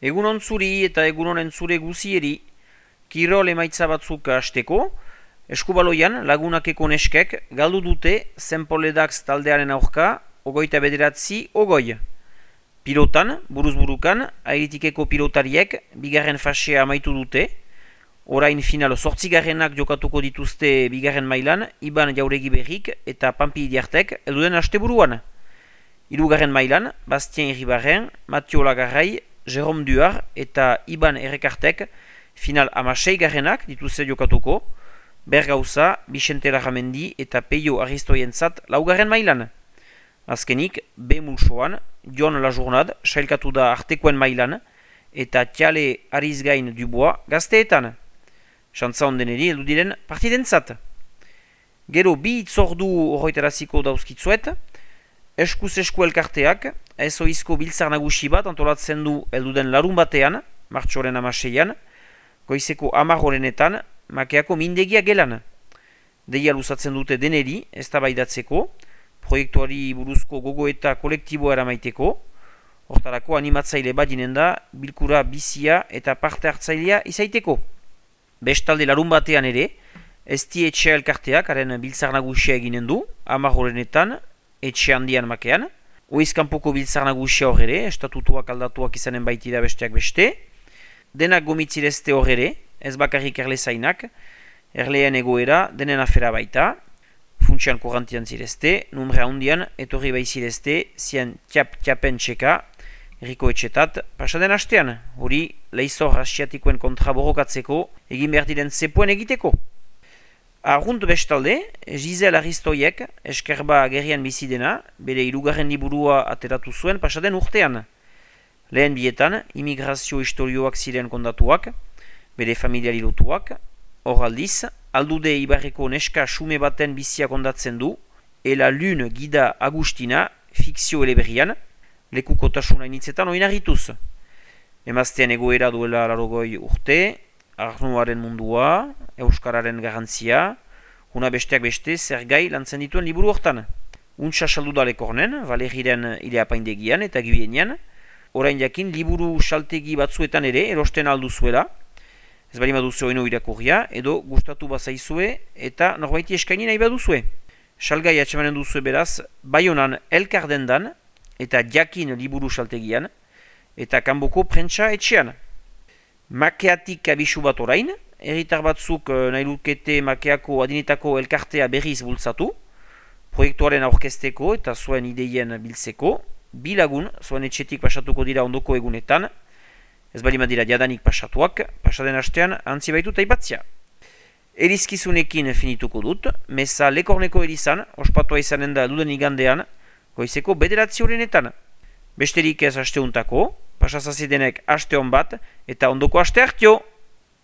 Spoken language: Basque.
Egunon zuri eta egunonen zure guzieri, kirol emaitza batzuk hasteko, Eskubaloian lagunakeko neskek galdu dute Zenpoledax taldearen aurka, 29-ogoi. Pilotan, buruz-burukan, Airitikeko pilotariek bigarren fasea amaitu dute, orain final 8garrenak jokatuko dituzte bigarren mailan, Iban Jauregi Berrik eta Pampi Idiartek elduden asteburuan. Hirugarren mailan, Bastien Iribarren, Mathieu Lagarrai, Jérôme Duar eta Iban Errekartek final 16garrenak dituzte jokatuko, Bergauza, Vicente Larramendi eta Peio Aristoientzat laugarren mailan. Azkenik, B mulsoan, Jon Lajournad sailkatu da artekoen mailan eta Tiale Arizgain Dubois gazteetan. Xantza ondeneri heldu diren partidentzat. Gero bi itzordu horretaraziko dauzkitzuet, eskuz esku elkarteak, ezoizko biltzar nagusi bat antolatzen du helduden larun batean, martxoren 16an, goizeko 10 makeako mindegia gelan. Deia luzatzen dute deneri, eztabaidatzeko, proiektuari buruzko gogoeta kolektiboa eramaiteko, hortarako animatzaile badinen da, bilkura bizia eta parte hartzailea izaiteko. Bestalde larun batean ere, ezti etxe elkarteak, haren biltzar nagusia eginen du, 10 etxe handian makean, oizkanpoko biltzar nagusia hor ere, estatutuak aldatuak izanen baitira besteak beste, denak gomitzirezte hor ere, ez bakarrik erlezainak, erleen egoera denen afera baita, funtsian korrantian zirezte, numrea hundian etorri baizirezte, zien txapen txeka, erriko etxetat, pasaden hastean, hori leizor asiatikoen kontra borrokatzeko, egin behar diren zepuen egiteko. Arrunt bestalde, Giselle Aristoiek, eskerba gerian bizidena, bere hirugarren liburua ateratu zuen pasaden urtean. Lehen bietan, immigrazio historioak ziren kondatuak, bere familiari lotuak, hor aldiz, aldude ibarreko neska xume baten bizia kondatzen du, Ela Lune Gida Agustina, fikzio eleberrian, lekukotasuna initzetan oinarrituz. Emaztean egoera duela 80 urte, Arnuaren mundua, Euskararen garantzia, una besteak beste zer gai lantzen dituen liburu hortan. Untsa saldu da lekornen, Valeriren ileapaindegian eta Gibenean, orain jakin liburu saltegi batzuetan ere erosten alduzuela, ez bali baduzue oino irakurria, edo gustatu bazaizue eta norbaiti eskaini nahi baduzue. Salgai atxemanen duzue beraz, Baionan elkardendan eta jakin liburu saltegian, eta kanboko prentsa etxean. Makeatik abisu bat orain, herritar batzuk nahi lukete makeako adinetako elkartea berriz bultzatu, proiektuaren aurkezteko eta zuen ideien biltzeko, bilagun zuen etxetik pasatuko dira ondoko egunetan, ez bali madira jadanik pasatuak, pasaden hastean antzi baitu taipatzia. Erizkizunekin finituko dut, meza lekorneko erizan, ospatua izanen da duden igandean, goizeko 9 Besterik ez hasteuntako, pasazazidenek haste hon bat, eta ondoko haste hartio!